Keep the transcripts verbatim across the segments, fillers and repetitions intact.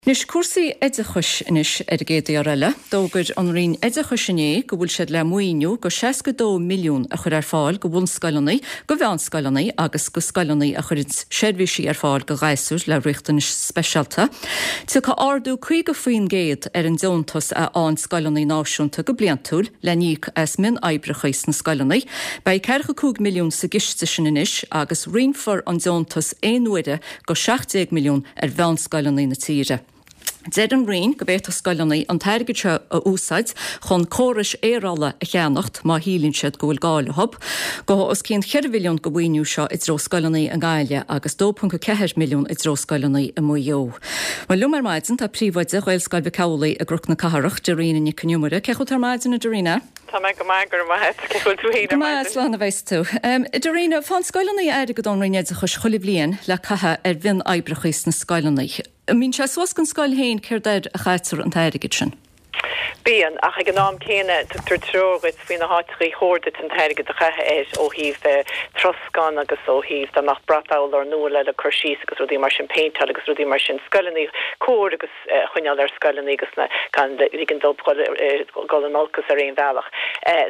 Anois cúrsaí oideachais anois ar an gcéad uair eile. D'fhógair an Roinn Oideachais inné go bhfuil siad le maoiniú go seasca dó milliún a chur ar fáil go bhunscoileanna, go mheánscoileanna agus go scoileanna a chuireann seirbhísí ar fáil go ghasúir le riachtanais speisialta. Tiocfaidh ardú caoga faoin gcéad ar an deontas a fhaigheann scoileanna náisiúnta go bliantúil le n-íoc as mionoibreacha sna scoileanna. Beidh ceathracha cúig milliún sa gciste sin anois agus roinnfear an deontas aon uaire go seacht déag milliún ar mheánscoileanna na tíre. Deir an Roinn go bhféadfadh scoileanna an t-airgead seo a úsáid chun córais aerála a cheannacht má shíleann siad go bhfuil gá leo. Gabhfaidh os cionn cheithre mhilliún den mhaoiniú seo i dtreo scoileanna i nGaillimh agus dó ponc a ceathair milliún i dtreo scoileanna i Maigh Eo. Bhuel liom ar maidin tá príomhoide Ghaelscoil Mhic Amhlaigh i gCnoc na Cathrach, Darina Nic an Iomaire. Cén chaoi a bhfuil tú ar maidin, a Darina? Tá mé go maith, go raibh maith agat. Cén chaoi a bhfuil tú féin ar maidin? Go maith, slán a bheas tú. Darina, faigheann scoileanna airgead ón Roinn Oideachais chuile bhliain le caitheamh ar mhionoibreacha sna scoileanna. An mbíonn sé suas don scoil féin céard air a chaitear an t-airgead sin? Bíonn, ach ag an am céanna tugtar treoir dhuit faoi na háiteachaí chóir duit an t-airgead a chaitheamh air ó thaobh troscán agus ó thaobh dá mbeadh brat urláir nua le le cur síos agus rudaí mar sin, péinteáil agus rudaí mar sin, scoileanna, cóir agus a choinneáil ar scoileanna agus na gan ligean dóibh dul in olcas ar aon bhealach.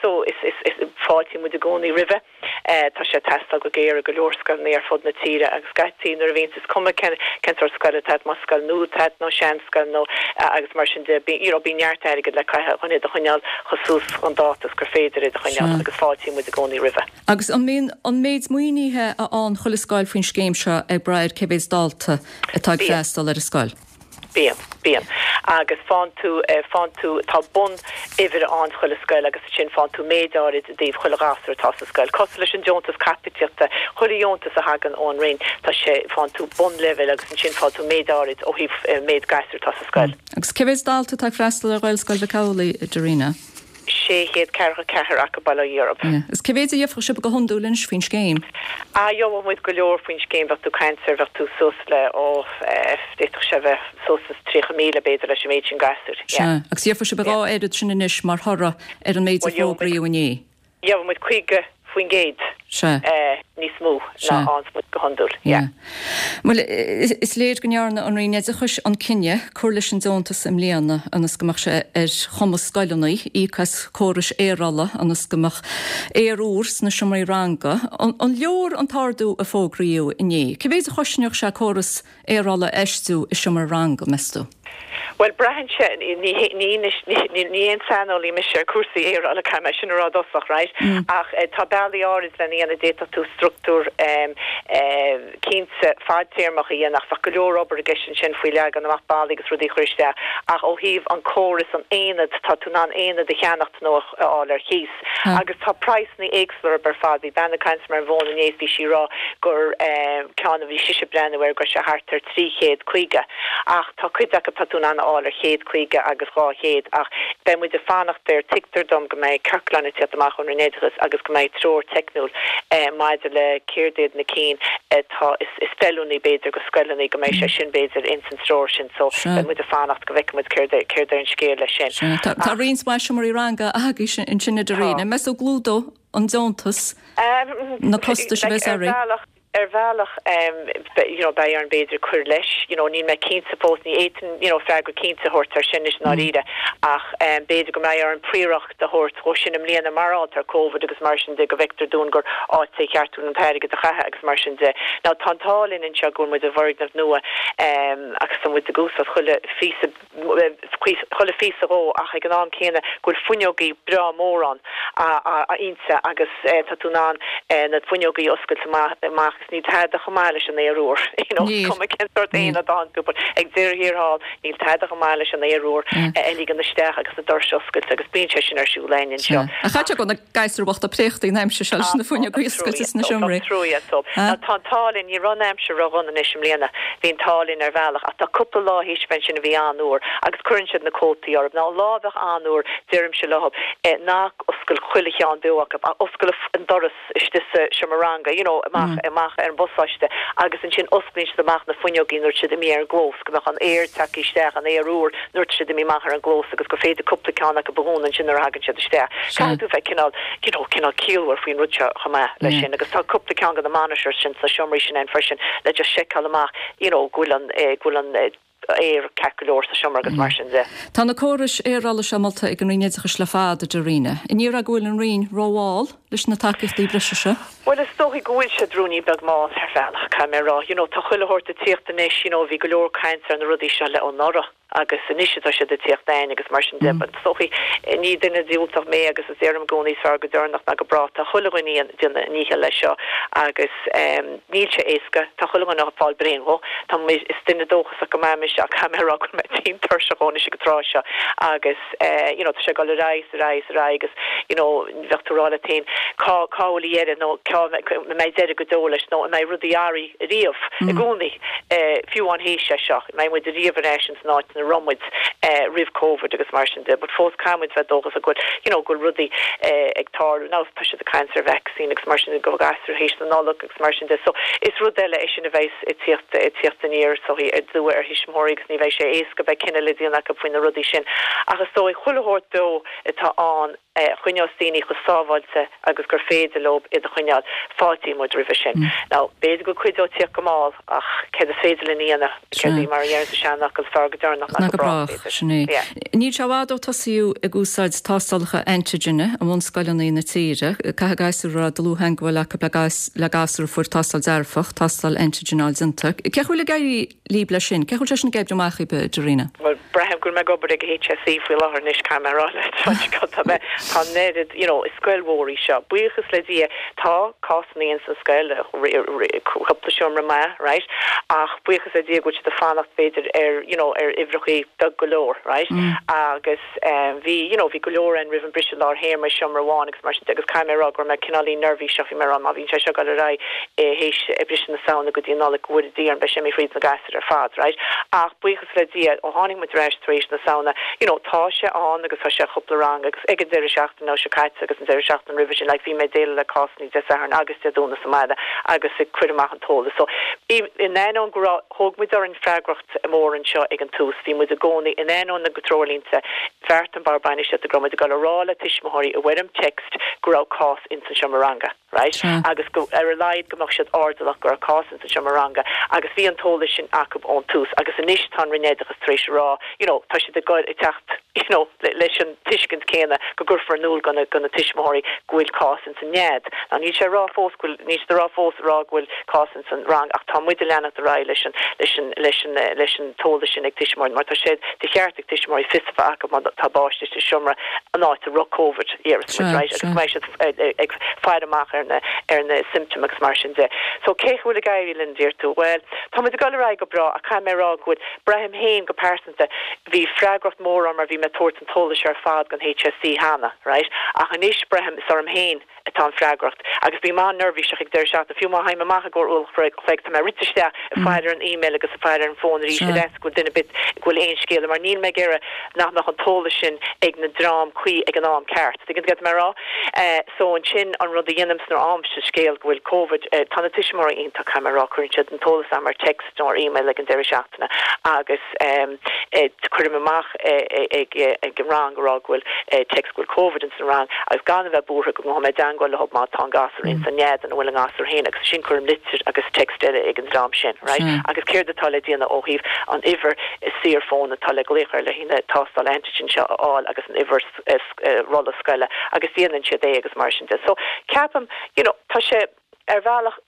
So is is is fáiltíonn muid i gcónaí roimhe. Tá sé ag teastáil go géar i go leor scoileanna ar fud na tíre agus scaití nuair a bhíonns, is cuma cén cén sórt scoile atá agat, más scoil nua atá agat nó seanscoil nó agus mar sin de, you know bíonn neart airgid le caitheamh chun iad a choinneáil chomh suas chun dáta is gur féidir iad a choinneáil agus fáiltíonn muid i gcónaí roimhe. Agus an mbíonn an méid maoinithe a fhaigheann chuile scoil faoin scéim seo ag brath ar cé mhéad dalta atá ag freastal ar an scoil? Bíonn, bíonn. Agus faigheann tú, faigheann tú, tá bun-uimhir ann chuile scoil agus ansin faigheann tú méid áirid i dtaobh chuile ghasúr atá sa scoil. Cosúil leis an deontas caipitíochta, chuile dheontas a thagann ón Roinn, tá sé, faigheann tú bun-leibhéal agus ansin faigheann tú méid áirid ó thaobh méid gasúr atá sa scoil. Agus cé mhéad dalta atá ag freastal ar Ghaelscoil Mhic Amhlaigh, a Darina? sé chéad ceathracha ceathair acu bail ó Dhia orthu. Is cé mhéad a gheobhadh sibh go hiondúil anois faoin scéim? Ah, gheobhadh muid go leor faoin scéim, bheadh tú ag caint ar, bheadh tú suas le, ó, d'fhéadfadh sé bheith suas is tríocha míle b'fhéidir leis an méid sin gasúir, yeah. Sea, agus gheobhadh sibh a dhá oiread sin anois mar thoradh ar an méid a fógraíodh inné. Gheobhadh muid caoga faoin gcéad níos mó ná a fhaigheanns muid go hiondúil. Yeah. Bhuel, is léir go ndearna an Roinn Oideachais an cinneadh cur leis an deontas i mbliana ionas go mbeadh sé ar chumas scoileanna íoc as córais aerála ionas go mbeadh aer úr sna seomraí ranga. An leor an t-ardú a fógraíodh inné? Cé mhéad a chosnódh sé córas aerála a fheistiú i seomra ranga, meas tú? Bhuel, braitheann sé, ní ní ní aon saineolaí mise ar cúrsaí aerála, caithfidh mé sin a rá i dtosach, right? Ach tá bealaí áirid lena dhéanamh, d'fhéadfadh tú struchtúr cinnte fadtéarmach a dhéanamh ach bheadh go leor obair i gceist ansin faoi leagan amach ballaí agus rudaí a chur isteach. Ach ó thaobh an córas, an aonad, tá tú in ann aonad a cheannacht nó a fháil ar chíos. Agus tá praghsanna éagsúla orthu ar fad. Bhí bean ag caint liom ar an bhfón inné is bhí sí ag rá gur ceann a bhí sise ag breathnú air go raibh sé thart ar trí chéad caoga. Ach tá cuid acu tá tú in ann a fháil ar chéad caoga agus dhá chéad. Ach beidh muid ag fanacht air. Tuigtear dom go mbeidh ciorclán ag tíocht amach ón Roinn Oideachais agus go mbeidh treoir teicniúil maidir le céard iad na cinn atá is feiliúnaí b'fhéidir go scoileanna, go mbeidh sé sin b'fhéidir ins an treoir sin. So beidh muid ag fanacht go bhfeicfidh muid céard é céard é an scéal leis sin. Sea. Tá roinnt mhaith seomraí ranga agaibhse ansin a Darina. Meas tú an gclúdóidh an deontas na costais a bheas Ar oraibh? bhealach, ar bhealach, you know, beidh orainn b'fhéidir cur leis, you know, níl mé cinnte fós, ní fhéadfainn, you know, freagra cinnte a thabhairt ar sin anois i ndáiríre, ach b'fhéidir go mbeidh orainn príoracht a thabhairt dhó sin i mbliana mar atá ar Covid agus mar sin de, go bhfeictear dúinn gur áit é cheart dúinn an t-airgead a chaitheamh agus mar sin de. Now tá an t-ádh linn anseo go bhfuil muid i bhfoirgneamh nua agus tá muid ag úsáid chuile phíosa, chuile phíosa dhó ach ag an am céanna go bhfuil fuinneogaí breá mór ann inti agus tá tú in ann na fuinneogaí a oscailt amach agus níl tada chomh maith leis an aer úr you know is cuma cén sórt aonad atá ann but ag deireadh thiar thall níl tada chomh maith leis an aer úr a ligean isteach agus na doirse a oscailt agus bíonn sé sin ar siúl againn anseo. Ach caithfidh sé go bhfuil na gasúir bochta préachta an aimsir seo leis na fuinneogaí oscailte sna seomraí. Tá trua so. Tá an t-ádh linn, ní raibh an aimsir ródhona anois i mbliana, bhí an t-ádh linn ar bhealach ach tá cúpla lá théis bheith ansin a bhí an-fhuar agus cuireann siad na cótaí orthu. Now an lá a bheadh an-fhuar deirimse leo ná oscail chuile cheann beo acu ach oscail an doras istigh sa seomra ranga, you know, amach amach ar an bpasáiste agus ansin osclaíonn siad amach na fuinneogaí nuair atá siad imithe ar an gclós go mbeadh an aer tagtha isteach, an aer úr nuair atá siad imithe amach ar an gclós agus gur féidir cúpla ceann acu a dhúnadh ansin nuair a thagann siad isteach. Caithfidh tú bheith cineál, you know, cineál ciallmhar faoin rud seo chomh maith leis sin agus tá cúpla ceann de na monitors sin sna seomraí sin ann freisin le just seiceáil amach, you know, go bhfuil an, go bhfuil an, aer ceart go leor sa seomra agus mar sin de. Tá na córais aerála seo molta ag an Roinn Oideachais le fada, a Darina. An ndéarfá go bhfuil an Roinn rómhall leis na tacaíochtaí breise seo? Well is dóigh go bhfuil siad ruainnín beag mall ar bhealach, caithfidh mé a rá. You know, tá chuile shórt ag tíocht anois, you know, bhí go leor caint ar na rudaí seo le anuraidh agus anois atá siad ag tíocht ann agus mar sin de. But is dóigh ní duine diúltach mé agus is deirim i gcónaí is fearr go deireanach ná go brách. Tá chuile dhuine ag déanamh a ndícheall leis seo agus um, níl sé éasca, tá chuile dhuine ag fáil bréan dhó. Tá mé is duine dóchasach go maith mise ach caithfidh mé a rá go bhfuil mé tinn tuirseach anois ag an tráth seo agus eh, you know, tá sé ag dul ar aghaidh, ar aghaidh, ar aghaidh agus you know, bheadh tú ag rá leat féin cá cá bhfuil a dheireadh nó cá mbeidh deireadh go deo leis nó an mbeidh rudaí athraithe riamh i gcónaí eh, fiú amháin théis é seo, an mbeidh muid riamh ar ais san áit ina raibh muid eh, roimh COVID agus mar sin de, but fós caithfidh muid bheith dóchasach go bhfuil you know, go bhfuil rudaí eh, ag tarlú now tá siad ag caint ar vaccine agus mar sin go gasúir théis na Nollag agus mar sin de. So is rud eile é sin a bheidh ag tíocht ag tíocht aniar so aduaidh ar thuismitheoirí agus ní bheidh sé éasca beidh cinneadh le déanamh acu faoi na rudaí sin. Ach is dóigh chuile shórt beo atá ann eh, choinneos daoine chomh sábháilte agus gur féidir leo iad a choinneáil fáiltíonn muid roimhe sin. Mm. Now b'fhéidir go cuideoidh tíocht go mall ach céard is féidir linn a dhéanamh céard í mar a deireann sa seanfhocal is fearr go deireanach ná go brách brách sin é. Níl sé i bhfad ó tosaíodh ag úsáid tástálacha antigine i mbunscoileanna na tíre, caithfidh gasúir a raibh dlúth-theagmháil acu le gas le gasúr a fuair tástáil dearfach, tástáil antigine a fháil déanta. Cén chaoi a bhfuil ag éirí libh leis sin, cén chaoi bhfuil sé sin ag oibriú amach daoibh, a Darina? Well braithim go bhfuil mé ag obair ag HSE faoi láthair anois caithfidh mé a rá leat tá mé tá an oiread you know, is scoil mhór í seo. Buíochas le Dia tá cásanna in san scoil cúpla seomra maith, right? Ach buíochas le Dia go bhfuil siad ag fanacht b'fhéidir ar you know, ar uimhreacha beag go leor, right? Mm. Agus um, bhí you know, bhí go leor an roimh an briseadh lár théarma seomra amháin agus mar sin agus caithfidh mé a rá go raibh mé cineáilín neirbhíseach bhí mé ag rá má bhíonn sé seo ag dul ar aghaidh théis briseadh na Samhna go dtí an Nollaig go bhfuil dí an be sé mé fríd na gasúir ar fad, right? Ach buíochas le Dia ó tháinig muid ar ais tar éis na Samhna, you know, tá sé ann agus tá sé cúpla rang agus ag an deireadh seachtaine seo caite agus an deireadh seachtaine roimhe sin like, bhí mé déileáil le cásanna Dé Sathairn agus Dé Domhnaigh sa mbaile agus ag cur amach an t-eolas. So in ainneoin go raibh thóg muid orainn freagracht mór anseo ag an tús, bhí muid i gcónaí in ainneoin na dtreoirlínte bheart an bord bainistíochta go raibh muid ag dul a rá le tuismitheoirí i bhfoirm text go raibh cás in san seomra ranga. Right? Sure. agus go ar a laghad go mbeadh siad airdeallach go raibh cás in san seomra ranga agus bhí an t-eolas sin acu ón tús agus anois tá an Roinn Oideachais tar éis rá you know, tá siad ag teacht you know, leis an tuiscint céanna go gcuirfear in iúl do na do na tuismitheoirí go bhfuil cás in san nead. Ná níl sé rá fós go níl sé rá fós rá go bhfuil cás in san rang ach tá muid ag leanacht ar aghaidh leis an leis an leis an leis an t-eolas sin ag tuismitheoirí mar tá sé de cheart ag tuismitheoirí fios a bheith acu má tá páiste sa seomra an áit a raibh COVID right agus mbeidh siad ag faire amach ar na ar na symptom agus mar sin de. So cé bhfuil ag éirí linn deir tú well tá muid ag dul ar aghaidh go breá ach caithfidh mé rá go bhfuil braithim féin go pearsanta bhí freagracht mór orm mar bhí mé ag tabhairt an t-eolas ar fad don HSE cheana, right? Ach anois braithim is orm féin atá an freagracht agus bím an-neirbhíseach ag deireadh seachtaine fiú má théim amach i gcomhair uair an chloig tá mé rite isteach ag faire ar an email agus ag faire ar an fón arís mm. leis go duine bit go bhfuil aon scéal mar níl mé ag iarraidh nach mbeadh an t-eolas sin ag na dream cuí ag an am ceart. Tuigeann tú mé rá uh, so ansin an rud a dhéanaim nuair a fhaighimse scéal go bhfuil COVID uh, tá na tuismitheoirí iontach caithfidh mé rá cuireann siad an t-eolas am ar text nó ar email ag an deireadh seachtaine agus um, eh, cuirim amach ag ag an rang rá go bhfuil text go bhfuil COVID in san rang agus gan a bheith buartha go mbeidh mé i dteagmháil leo má tá an gasúr in san nead an bhfuil an gasúr féin agus sin cuirim litir agus text eile ag an dream sin right mm. agus céard atá le déanamh ó thaobh an uimhir saorfhóin atá le glaoch ar le haghaidh na tástáil antigen seo a fháil agus an uimhir rolla scoile agus déanann siad é agus mar sin de so ceapaim you know tá sé ar bhealach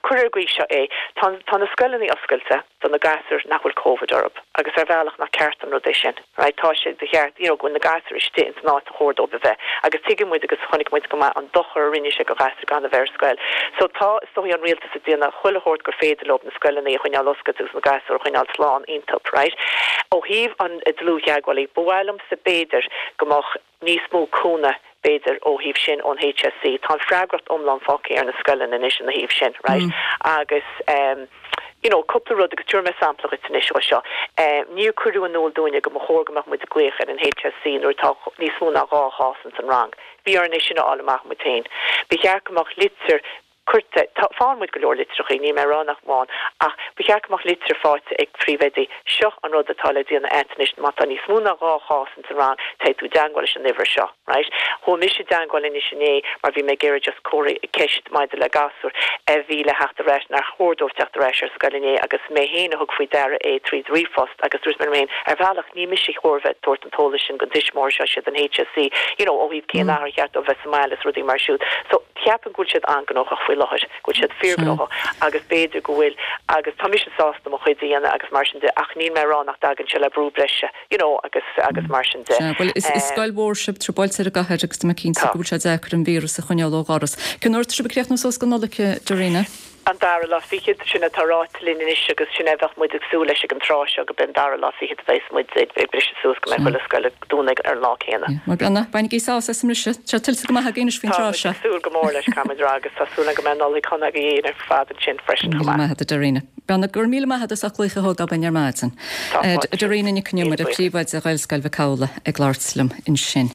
cuir ar gcaoi seo é tá tá na scoileanna oscailte do na gasúir nach bhfuil COVID orthu agus ar bhealach nach ceart an rud é sin right tá sé de cheart you know go bhfuil na gasúir istigh in san áit ar chóir dóibh a bheith agus tuigeann muid agus chonaic muid go maith an dochar a rinne sé do ghasúir gan a bheith ar scoil so tá is dóigh an rialtas ag déanamh chuile shórt gur féidir leo na scoileanna a choinneáil oscailte agus na gasúir a choinneáil slán iontu right ó thaobh an dlúth-theagmhálaí ba mhaith liomsa b'fhéidir go mbeadh níos mó cúnamh b'fhéidir ó thaobh sin ón HSE tá an freagracht iomlán fágtha ar na scoileanna anois ina thaobh sin right mm. agus um, you know cúpla rud agus tabharfaidh mé sampla duit anois ó seo um, níor cuireadh in iúl dúinne go mba chóir go mbeadh muid ag glaoch ar an HSE nuair atá níos mó ná dhá chás in san rang. Bhí orainn é sin a fháil amach muid féin. Ba cheart go mbeadh litir Cuirte, tá, faigheann muid go leor litreachaí, níl mé ag rá nach bhfaigheann, ach ba cheart go mbeadh litir faighte ag príomhoidí, seo an rud atá le déanamh a'd anois, má tá níos mó ná dhá chás ins an rang, téigh tú i dteangmháil leis an uimhir seo, right? Chuaigh mise i dteangmháil anois inné mar bhí mé ag iarraidh just comhartha, ceist maidir le gasúr a bhí le theacht ar ais, nár chóir dóibh teacht ar ais ar scoil inné agus mé féin a thug faoi deara é tríd ríomhphost agus dúirt mé liom féin, ar bhealach ní mise a chóir bheith ag tabhairt an t-eolas sin don tuismitheoir seo, siad an HSE, you know, ó thaobh cén uair ar cheart dóibh bheith sa mbaile is rudaí mar siúd. So, Ceapaim go bhfuil siad an-ghnóthach faoi láthair, go bhfuil siad fíorghnóthach agus b'fhéidir go bhfuil, agus tá mise sásta mo chuid a dhéanamh agus mar sin de ach níl mé ag rá nach dtagann sé le brú breise, you know, agus, agus mar sin de. Sea, bhuel is, is scoil mhór sibh, trioblóid ar an gcathair agus tá mé cinnte go bhfuil sé deacair an víreas a choinneáil ó dhoras. Cén uair atá sibh ag críochnú suas don Nollaig, Darina? An dara lá fichead, sin atá ráite linn anois agus sin é a bheadh muid ag súil leis ag an tráth seo, go b'é an dara lá fichead a bheas muid ag briseadh suas, go mbeidh chuile scoil ag dúnadh ar an lá céanna. Bhuel, Brenna, bainigí sásamh as an mbriseadh. Tá sé tuillte go maith againn anois faoin tráth seo. Tá muid ag súil go mór leis, caithfidh muid a rá, agus tá súil agam go mbeidh Nollaig shona agaibh ar fad ansin freisin chomh maith. Míle maith agat, a Darina. Brenna, go raibh míle maith agat as ucht glaoch a thógáil orainn ar maidin. Tá fáilte. Darina Nic Con Iomaire, Príomhoide Ghaelscoil Mhic Amhlaigh ag labhairt liom ansin.